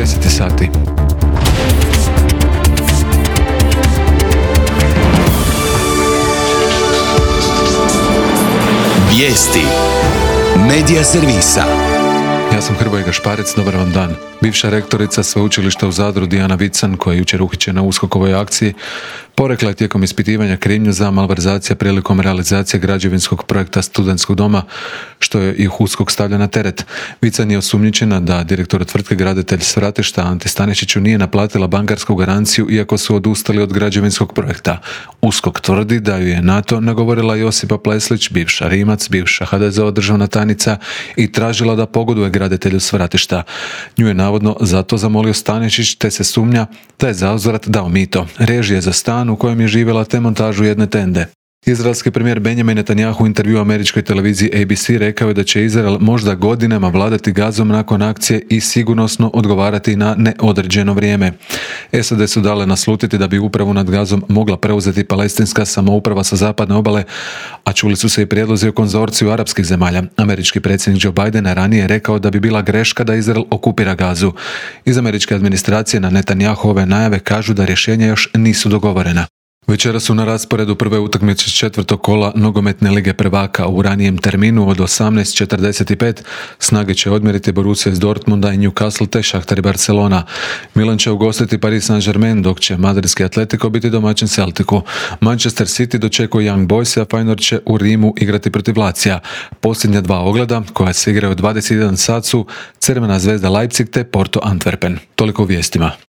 10 sati. Vijesti Medija servisa. Ja sam Hrvoje Gašparec, dobar vam dan. Bivša rektorica sveučilišta u Zadru Dijana Vican, koja je jučer uhićena u USKOK-ovoj akciji, porekla je tijekom ispitivanja krivnju za malverzacije prilikom realizacije građevinskog projekta studentskog doma, što je ih USKOK stavlja na teret. Vican je osumnjičena da direktor tvrtke Graditelj Svratišta Ante Stanišiću nije naplatila bankarsku garanciju iako su odustali od građevinskog projekta. USKOK tvrdi da ju je na to nagovorila Josipa Pleslić, bivša Rimac, bivša HDZ-ova državna tajnica, i tražila da pogoduje Graditelju Svratišta. Nju je navodno zato zamolio Stanišić, te se sumnja da je zauzvrat dao mito, režije za stan u kojem je živjela te montažu jedne tende. Izraelski premijer Benjamin Netanjahu u intervjuu američkoj televiziji ABC rekao je da će Izrael možda godinama vladati Gazom nakon akcije i sigurnosno odgovarati na neodređeno vrijeme. SAD su dale naslutiti da bi upravu nad Gazom mogla preuzeti palestinska samouprava sa zapadne obale, a čuli su se i prijedlozi o konzorciju arapskih zemalja. Američki predsjednik Joe Biden ranije je rekao da bi bila greška da Izrael okupira Gazu. Iz američke administracije na Netanjahove najave kažu da rješenja još nisu dogovorena. Večera su na rasporedu prve utakmice četvrtog kola nogometne lige prvaka. U ranijem terminu od 18:45 snage će odmjeriti Borussia iz Dortmunda i Newcastle te Shakhtar i Barcelona. Milan će ugostiti Paris Saint-Germain, dok će madridski Atletico biti domaćin Celticu. Manchester City dočekuje Young Boys, a Feyenoord će u Rimu igrati protiv Lazija. Posljednja dva ogleda, koja se igraju u 21 sat, su Crvena zvezda Leipzig te Porto Antwerpen. Toliko u vijestima.